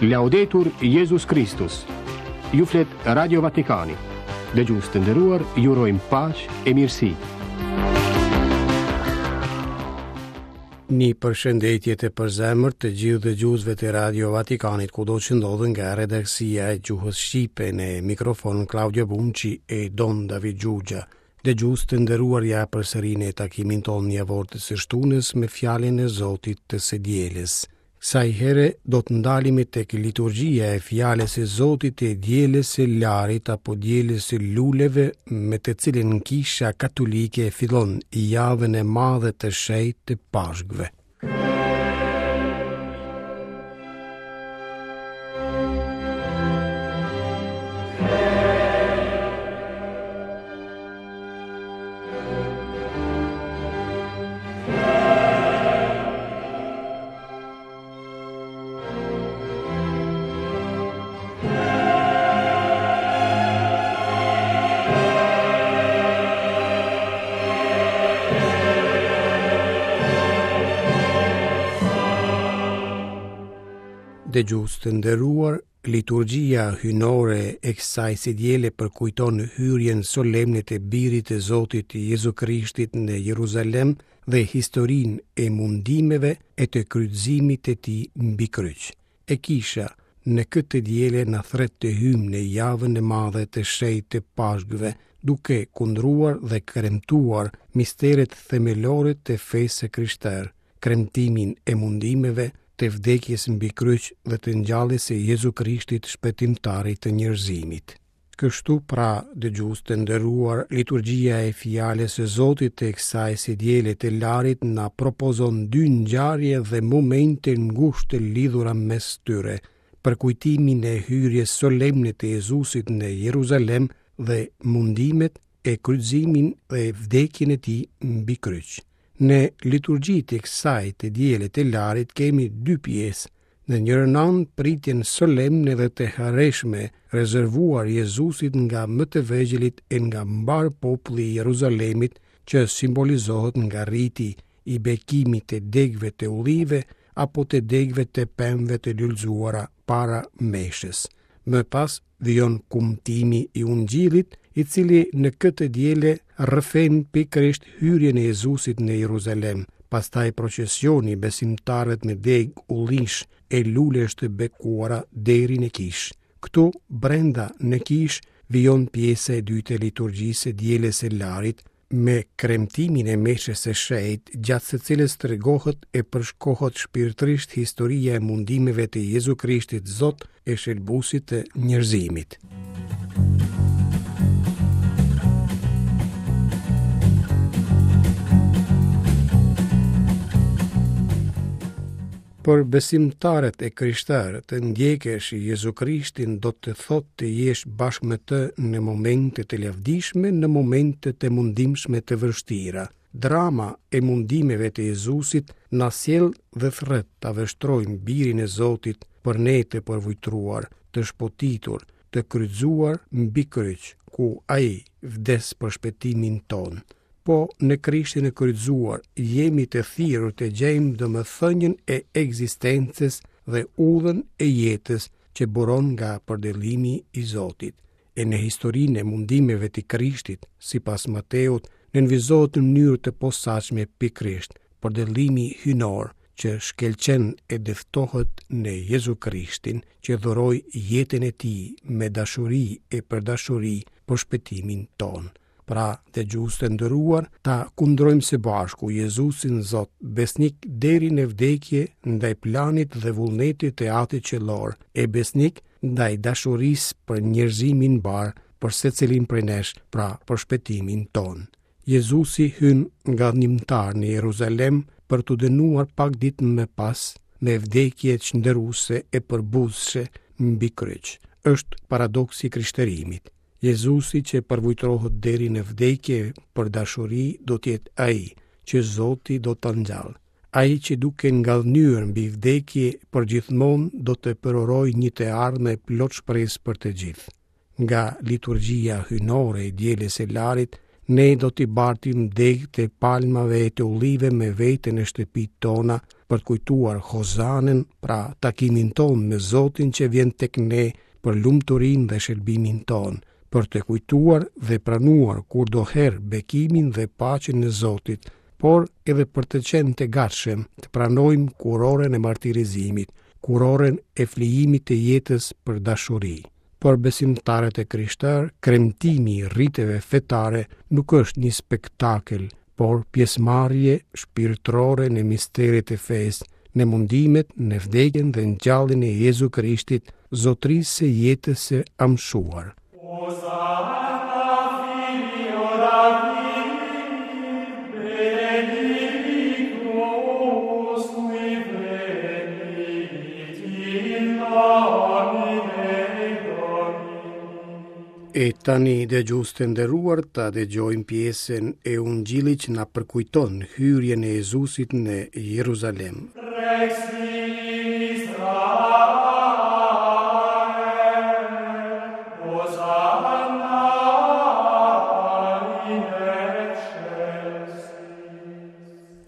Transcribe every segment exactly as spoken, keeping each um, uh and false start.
Laudetur Jezus Kristus. Ju flet Radio Vatikani. Dëgjues të nderuar, ju urojmë paqe e mirësi. Një përshëndetje të përzemërt të gjithë dëgjuesve të Radio Vatikanit kudo që ndodhen nga redaksia e gjuhës shqipe në mikrofon Claudio Bunci e Don David Gjugja. Dëgjues të nderuar, ja përsëri në takimin tonë javor të së shtunës me fjalën e Zotit të së dielës. Kësaj here do të ndalemi tek liturgjia e fjalës së Zotit të dielës së Larit apo dielës së luleve, me të cilën Kisha Katolike fillon javën e madhe të shenjtë të Pashkëve. Dëgjues të nderuar, liturgjia hyjnore e kësaj së diele përkujton hyrjen solemne të Birit të Zotit Jezu Krishtit në Jeruzalem dhe historinë e mundimeve e të kryqëzimit të tij mbi kryq. E kisha në këtë diele na thret të hyjmë në javën e madhe të shenjtë të Pashkëve, duke kundruar dhe kremtuar misteret themelore të fesë së krishterë, kremtimin e mundimeve, të vdekjes mbi kryq dhe të ngjalljes së Jezu Krishtit, shpëtimtarit të njerëzimit. Kështu pra, dëgjues të nderuar, liturgjia e fjalës së Zotit të kësaj së diele të Larit na propozon dy ngjarje dhe momente ngushtë të lidhura mes tyre: përkujtimin e hyrjes solemne të Jezusit në Jeruzalem dhe mundimet e kryqëzimin dhe vdekjen e tij mbi kryq. Në liturgjitë e kësaj të diele të Larit kemi dy pjesë. Në njërën anë pritjen solemne dhe të hareshme rezervuar Jezusit nga më të vegjëlit e nga mbar populli i Jeruzalemit, që simbolizohet nga riti i bekimit të degëve të ullive apo të degëve të pemëve të lulëzuara para meshës. Më pas vijon kumtimi i Ungjillit, i cili në këtë diele rrëfen pikërisht hyrjen e Jezusit në Jeruzalem, pastaj procesioni i besimtarëve me degë ullish e lulesh të bekuara deri në kishë. Këtu brenda në kishë vijon pjesa e dytë e liturgjisë së dielës së Larit me kremtimin e meshës së shenjtë, gjatë së cilës tregohet e përshkohet shpirtërisht historia e mundimeve të Jezu Krishtit Zot e shëlbuesit të njerëzimit. Për besimtarët e krishterë, të ndjekësh Jezu Krishtin do të thotë të jesh bashkë me të në momente të lavdishme, në momente të mundimshme të vështira. Drama e mundimeve të Jezusit na sjell dhe thret ta vështrojmë Birin e Zotit për ne të përvujtruar, të shpotitur, të kryqëzuar mbi kryq, ku ai vdes për shpëtimin tonë. Po në Krishtin e kryqëzuar jemi të thirrur të gjejmë domethënien e ekzistencës dhe udhën e jetës që buron nga përdëllimi i Zotit. E në historinë e mundimeve të Krishtit, sipas Mateut, nënvizohet në mënyrë të posaçme pikërisht përdëllimi hyjnor që shkëlqen e dëftohet në Jezu Krishtin, që dhuroi jetën e tij me dashuri e për dashuri për shpëtimin tonë. Pra, dëgjues të nderuar, ta kundrojmë së bashku Jezusin Zot, besnik deri në vdekje ndaj planit dhe vullnetit të Atit Qiellor, e besnik ndaj dashurisë për njerëzimin mbar, për secilin prej nesh, pra për shpëtimin tonë. Jezusi hyn ngadhnjimtar në Jeruzalem për t'u dënuar pak ditë më pas me vdekje çnderuese e përbuzshme mbi kryq. Është paradoksi i krishterimit. Jezusi që përvujtrohet deri në vdekje për dashuri do të jetë ai që Zoti do ta ngjallë. Ai që duke ngadhnyer mbi vdekje përgjithmonë do të përurojë një të ardhme plot shpresë për të gjithë. Nga liturgjia hyjnore e dielës së Larit Ne do t'i bartim degët e palmave e të ullive me vete në shtëpitë tona për të kujtuar Hozanën, pra takimin tonë me Zotin që vjen tek ne për lumturinë dhe shërbimin tonë, për të kujtuar dhe pranuar kurdoherë bekimin dhe paqen e Zotit, por edhe për të qenë të gatshëm të pranojmë kurorën e martirizimit, kurorën e flijimit të jetës për dashuri. Për besimtarët e krishterë, kremtimi i riteve fetare nuk është një spektakël, por pjesëmarrje shpirtërore në misteret e fesë, në mundimet, në vdekjen dhe ngjalljen e Jezu Krishtit, zotërisë së jetës së amshuar. E tani dëgjues të nderuar, ta dëgjojmë pjesën e Ungjillit që na përkujton hyrjen e Jezusit në Jeruzalem.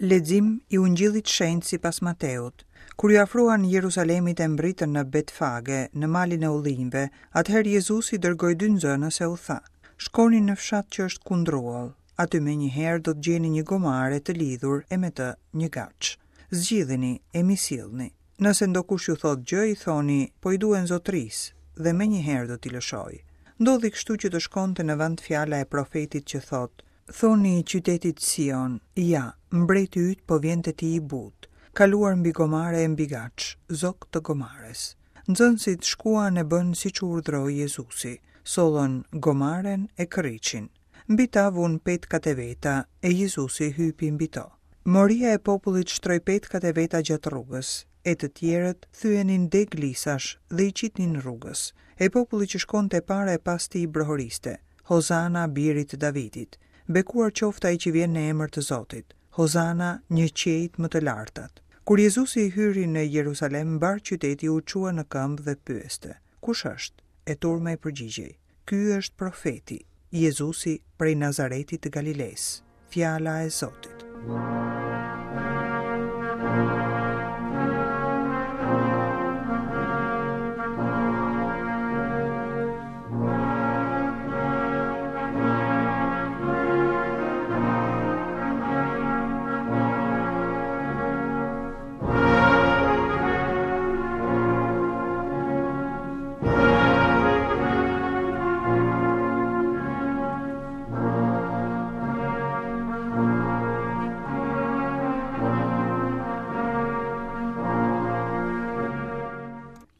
Lexim i Ungjillit Shenjt sipas Mateut. Kur ju afruan Jeruzalemit e mbritën në Betfage, në malin e ullinjve, atëherë Jezusi dërgoi dy nxënës e u tha: Shkoni në fshat që është kundruall, aty më njëherë do të gjeni një gomare të lidhur e me të një gaç. Zgjidhini e mi sillni. Nëse ndokush ju thot gjë, i thoni, po i duen zotërisë, dhe më njëherë do t'i lëshoj. Ndodhi kështu që të shkonte në vend fjala e profetit që thot: Thoni qytetit Sion, ja, mbreti yt po vjen te ti i butë, kaluar mbi gomare e mbi gaç, zok të gomares. Nxënësit shkuan e bën siç u urdhroi Jezusi, sollën gomaren e kërriçin. Mbi ta vun petkat e veta e Jezusi hypi mbi to. Moria e popullit shtroi petkat e veta gjatë rrugës, e të tjerët thyenin degë lisash dhe i qitnin rrugës. E populli që shkonte para e pas tij brohoriste: Hozana birit të Davidit, bekuar qoftë ai që vjen në emër të Zotit, Hozana një qiejt më të lartat. Kur Jezusi hyri në Jeruzalem, mbar qyteti u çua në këmbë dhe pyeste: Kush është? E turma i përgjigjej: Ky është profeti, Jezusi prej Nazaretit të Galilesë. Fjala e Zotit.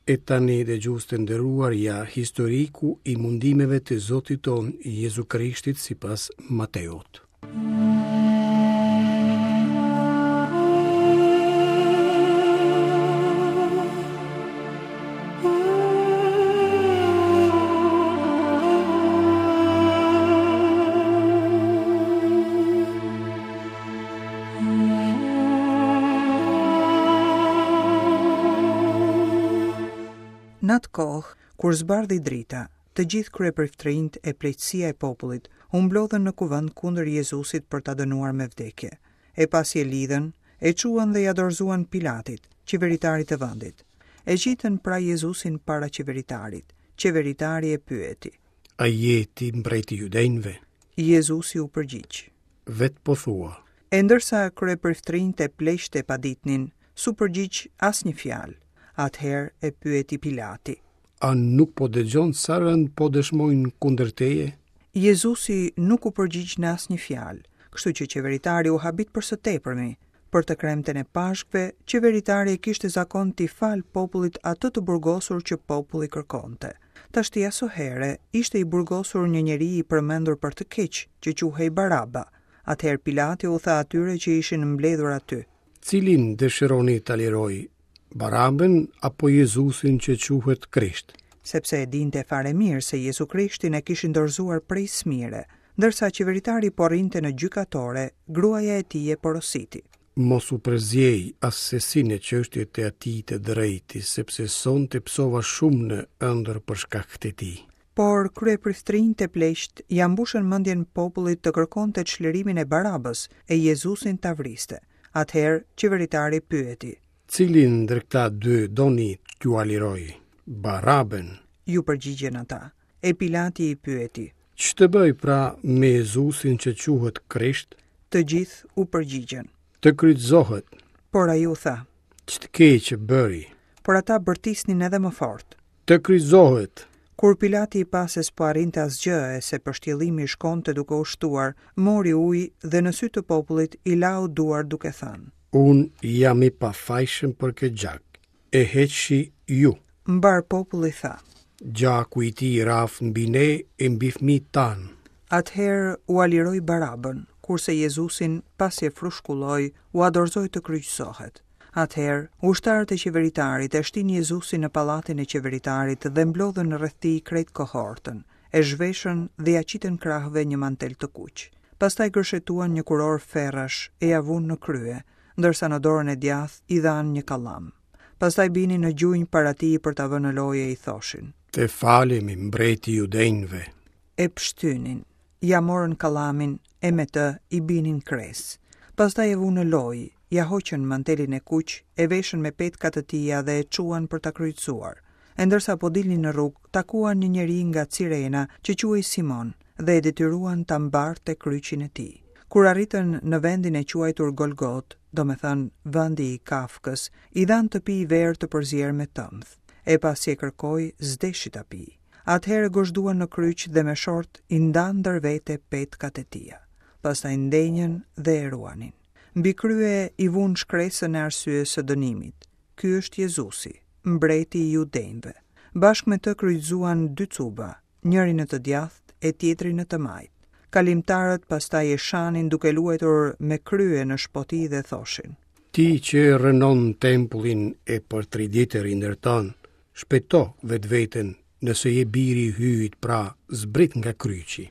E tani dëgjues të nderuar, ja historiku i mundimeve të Zotit ton Jezu Krishtit sipas Mateut. Në atë kohë, kur zbardhi drita, të gjithë kryepriftrinjt e pleqësia e popullit u mblodhën në kuvend kundër Jezusit për ta dënuar me vdekje. E pasi e lidhën, e çuan dhe ja dorëzuan Pilatit, qeveritarit të vendit. E qitën pra Jezusin para qeveritarit. Qeveritari e pyeti: A je ti mbreti i judenjve? Jezusi u përgjigj: Vet po thua. E ndërsa kryepriftrinjt e pleqtë e paditnin, s'u përgjigj asnjë fjalë. Atëherë e pyeti Pilati: A nuk po dëgjon sa rënd po dëshmojnë kundër teje? Jezusi nuk u përgjigj në asnjë fjalë, kështu që qeveritari u habit për së tepërmi. Për të kremten e Pashkëve, qeveritari e kishte zakon t'i fal popullit atë të burgosur që populli kërkonte. Tashti asohere ishte i burgosur një njeri i përmendur për të keq, që quhej Baraba. Atëherë Pilati u tha atyre që ishin mbledhur aty: Cilin dëshironi ta liroj, Barabën apo Jezusin që quhet Krisht? Sepse e dinte fare mirë se Jezu Krishtin e kishin dorëzuar prej smire. Ndërsa qeveritari po rrinte në gjykatore, gruaja e tij e porositi: Mos u përzjej assesi në çështjet e atij të drejti, sepse sonte psova shumë në ëndër për shkak të tij. Por kryepriftrinjtë e pleqtë ia mbushën mendjen popullit të kërkonte çlirimin e Barabës e Jezusin ta vriste. Atëherë qeveritari pyeti: Cilin ndër këta dy doni t'jua liroj? Barabën. Ju përgjigjen ata. E Pilati i pyeti: Ç'të bëj pra me Jezusin që quhet Krisht? Të gjithë u përgjigjën. Të kryqëzohet. Por ai u tha: Ç'të keq bëri? Por ata bërtisnin edhe më fort. Të kryqëzohet. Kur Pilati i pa se s'po arrinte asgjë e se pështjellimi shkonte duke u shtuar, mori ujë dhe në sy të popullit i lau duart duke thënë: Unë jam i pafajshëm për këtë gjak. E heqshi ju. Mbar populli tha: Gjaku i tij raftë mbi ne e mbi fëmijët tanë. Atëherë ua liroi Barabën, kurse Jezusin, pasi e frushkulloi, ua dorëzoi të kryqëzohet. Atëherë, ushtarët e qeveritarit e shtinë Jezusin në pallatin e qeveritarit dhe mblodhën rreth tij krejt kohortën, e zhveshën dhe ia qitën krahëve një mantel të kuq. Pastaj gërshetuan një kurorë ferrash e ia vunë në krye, ndërsa në dorën e djathtë i dhanë një kallam. Pastaj binin në gjunjë para tij për ta vënë në lojë e i thoshin: Të falemi, mbreti i judenjve. E pshtynin, ia morën kallamin e me të i binin kres. Pastaj e vunë në lojë, ia hoqën mantelin e kuq, e veshën me petka të tija dhe e çuan për ta kryqëzuar. E ndërsa po dilnin në rrugë, takuan një njeri nga Cirena që quhej Simon dhe e detyruan ta mbarte kryqin e tij. Kur arritën në vendin e quajtur Golgot, domethënë vendi i Kafkës, i dhanë të pijë verë të përzier me tëmth. E pasi e kërkoi, s'deshi ta pijë. Atëherë gozhduan në kryq dhe me short i ndanë ndër vete petkat e tija. Pastaj ndenjën dhe e ruanin. Mbi krye i vunë shkresën e arsyes së dënimit. Ky është Jezusi, mbreti i judenjve. Bashkë me të kryqëzuan dy cuba, njëri në të djathtë e tjetri në të majtë. Kalimtarët pastaj e shanin duke luajtur me krye në shpoti dhe thoshin: Ti që rrënon tempullin e për tri ditë e rindërton, shpëto vetveten, nëse je biri i Hyjit, pra zbrit nga kryqi.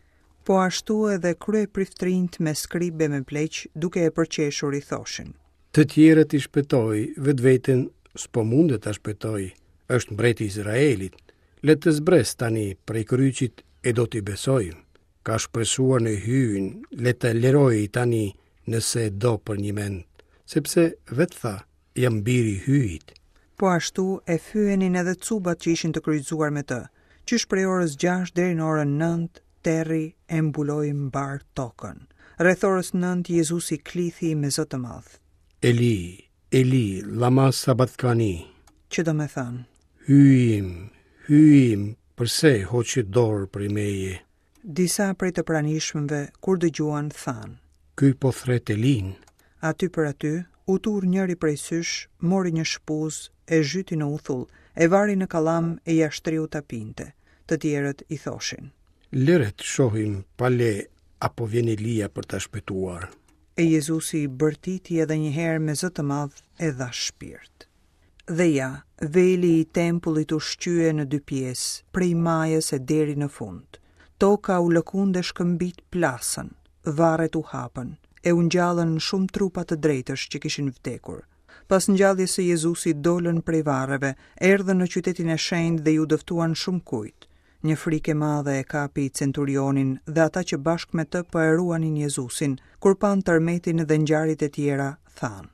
Po ashtu edhe kryepriftrinjtë me skribe me pleq, duke e përqeshur i thoshin: Të tjerët i shpëtoi, vetveten s'po mundet ta shpëtoj. Është mbreti i Izraelit. Le të zbres tani prej kryqit e do t'i besojmë. Ka shpresuar në Hyjin, le të liroj tani nëse do për një mend, sepse vetë tha, jam biri i Hyjit. Po ashtu e fyenin edhe cubat që ishin të kryqëzuar me të. Qysh prej orës gjashtë deri në orën nëntë, terri e mbuloi mbar tokën. Rreth orës nëntë Jezusi klithi me zë të madh: Eli, Eli, lama sabatkani, Që do me thënë: Hyji im, Hyji im, përse hoqi dorë prej meje? Disa prej të pranishmëve, kur dëgjuan, thanë: Ky po thret Elin. Aty për aty, u turr njëri prej sysh, mori një shpuzë, e zhyti në uthull, e vari në kallam e ia shtriu ta pinte. Të tjerët i thoshin: Lëre të shohim pale apo vjen Elia për ta shpëtuar. E Jezusi bërtiti edhe një herë me zë të madh e dha shpirt. Dhe ja, veli i tempullit u shqye në dy pjesë, prej majës e deri në fund. Toka u lëkund e shkëmbit plasën, varret u hapën, e u ngjallën shumë trupa të drejtësh që kishin vdekur. Pas ngjalljes së Jezusit dolën prej varreve, erdhën në qytetin e shenjtë dhe ju dëftuan shumë kujt. Një frikë e madhe e kapi centurionin dhe ata që bashkë me të po e ruanin Jezusin, kur panë tërmetin dhe ngjarjet e tjera, thanë: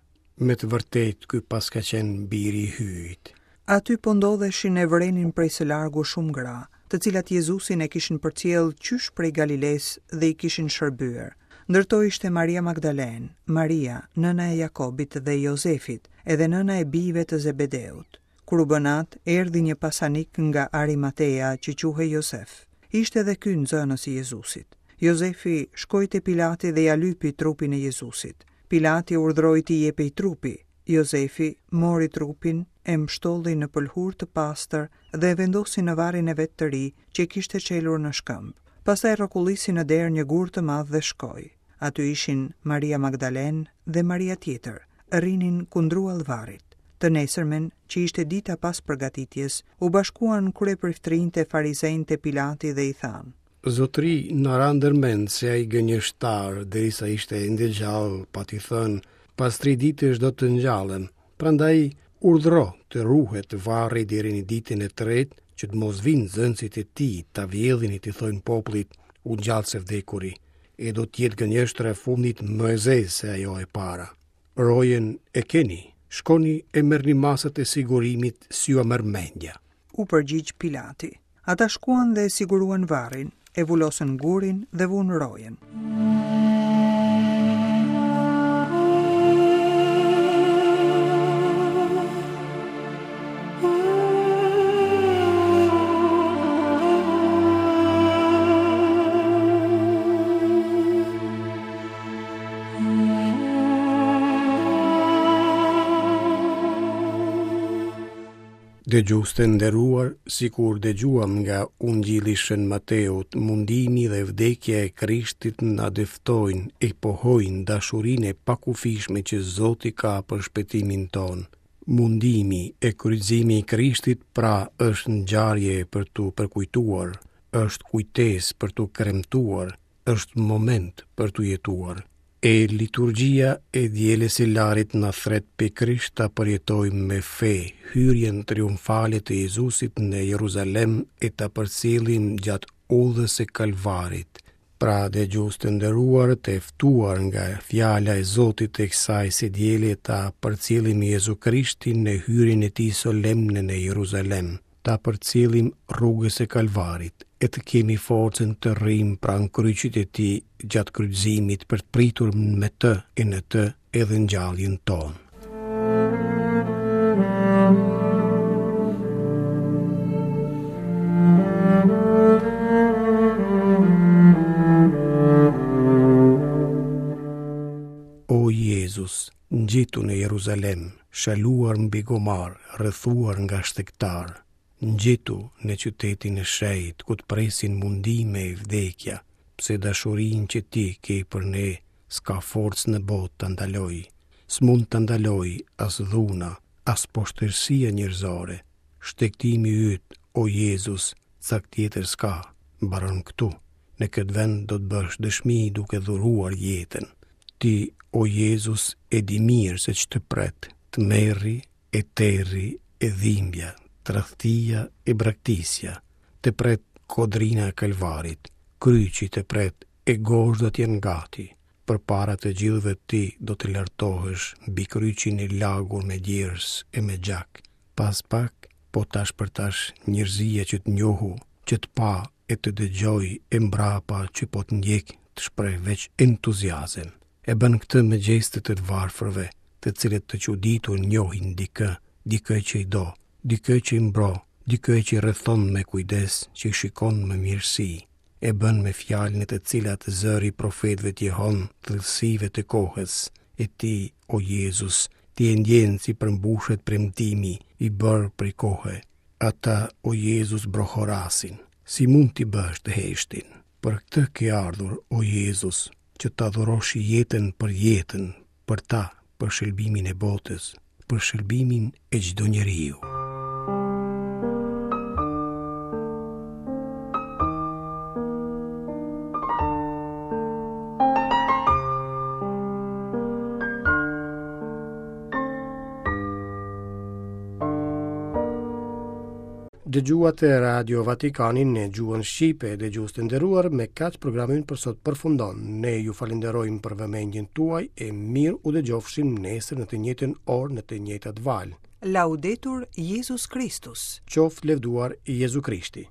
Me të vërtetë ky paska qenë biri i Hyjit. Aty po ndodheshin e vërenin prej së largu shumë gra, të cilat Jezusin e kishin përcjellë qysh prej Galilesë dhe i kishin shërbyer. Ndër to ishte Maria Magdalene, Maria, nëna e Jakobit dhe Jozefit, edhe nëna e bijve të Zebedeut. Kur u bë natë, erdhi një pasanik nga Arimatea që quhej Jozef. Ishte edhe ky nxënës i Jezusit. Jozefi shkoi te Pilati dhe ia lypi trupin e Jezusit. Pilati urdhëroi t'i jepej trupi. Jozefi mori trupin, e mbshtolli në pëlhurë të pastër dhe e vendosi në varrin e vet të ri që e kishte çelur në shkëmb. Pastaj rrokullisi në derë një gur të madh dhe shkoi. Aty ishin Maria Magdalene dhe Maria tjetër, rrinin kundruall varrit. Të nesërmen, që ishte dita pas përgatitjes, u bashkuan kryepriftrinjtë e farizenjtë e Pilati dhe i thanë: Zotri, na ra ndërmend se ai gënjeshtar, derisa ishte ende gjallë, pati thënë, pas tri ditësh do të ngjallem. Prandaj urdhro të ruhet varri deri në ditën e tretë, që të mos vinë nxënësit e tij ta vjedhin e t'i thojnë popullit u ngjall së vdekuri, e do të jetë gënjeshtra e fundit më e zezë se ajo e para. Rojen e keni, shkoni e merrni masat e sigurimit si jua merr mendja. U përgjigj Pilati. Ata shkuan dhe e siguruan varrin, e vulosën gurin dhe vunë rojen. Dëgjues të nderuar, sikur dëgjuam nga Ungjilli i Shën Mateut, mundimi dhe vdekja e Krishtit na dëftojnë e pohojnë dashurinë e pakufishme që Zoti ka për shpëtimin tonë. Mundimi e kryqëzimi i Krishtit pra është ngjarje për t'u përkujtuar, është kujtesë për t'u kremtuar, është moment për t'u jetuar. E liturgjia e dielës së Larit na thret pikërisht ta përjetojmë me fe hyrjen triumfale të Jezusit në Jeruzalem e ta përcjellim gjatë udhës së Kalvarit. Pra, dëgjues të nderuar, të ftuar nga fjala e Zotit të kësaj së diele ta përcjellim Jezu Krishtin në hyrjen e tij solemne në Jeruzalem, ta përcjellim rrugës së Kalvarit e të kemi forcën të rrimë pranë kryqit e tij gjatë kryqëzimit për të pritur me të e në të edhe ngjalljen tonë. O Jezus, ngjitu në Jeruzalem, shaluar mbi gomar, rrethuar nga shtegtarë, ngjitu në qytetin e shenjtë, ku të presin mundime e vdekja, pse dashurinë që ti ke për ne, s'ka forcë në botë ta ndalojë, s'mund ta ndalojë as dhuna, as poshtërsia njerëzore. Shtegtimi yt, o Jezus, cak tjetër s'ka, mbaron këtu. Në këtë vend do të bësh dëshmi duke dhuruar jetën. Ti, o Jezus, e di mirë se ç'të pret, tmerri e terri e dhimbja, tradhtia e braktisja, të pret kodrina e Kalvarit, kryqi të pret e gozhdat janë gati. Përpara të gjithëve ti do të lartohesh mbi kryqin e lagur me djersë e me gjak. Pas pak, po tash për tash, njerëzia që të njohu, që të pa e të dëgjoi e mbrapa që po të ndjek të shpreh veç entuziazëm. E bën këtë me gjeste të të varfërve, të cilët të çuditur njohin dikë, dikë që i do, dikë që i mbro, dikë që i rrethon me kujdes, që i shikon me mirësi. E bën me fjalë në të cilat zëri i profetëve të jehon thellësive të kohës. E ti, o Jezus, ti e ndjen si përmbushet premtimi i bërë prej kohe. Ata, o Jezus, brohorasin. Si mund t'i bësh të heshtin? Për këtë ke ardhur, o Jezus, që ta dhurosh jetën për jetën, për ta, për shërbimin e botës, për shërbimin e çdo njeriu. Dëgjuat Radio Vatikanin në gjuhën shqipe, dëgjues të nderuar, me kaq programi për sot përfundon. Ne ju falenderojmë për vëmendjen tuaj e mirë u dëgjofshim nesër në të njëjtën orë në të njëjtat valë. Laudetur Jezus Kristus. Qoftë lëvduar Jezu Krishti.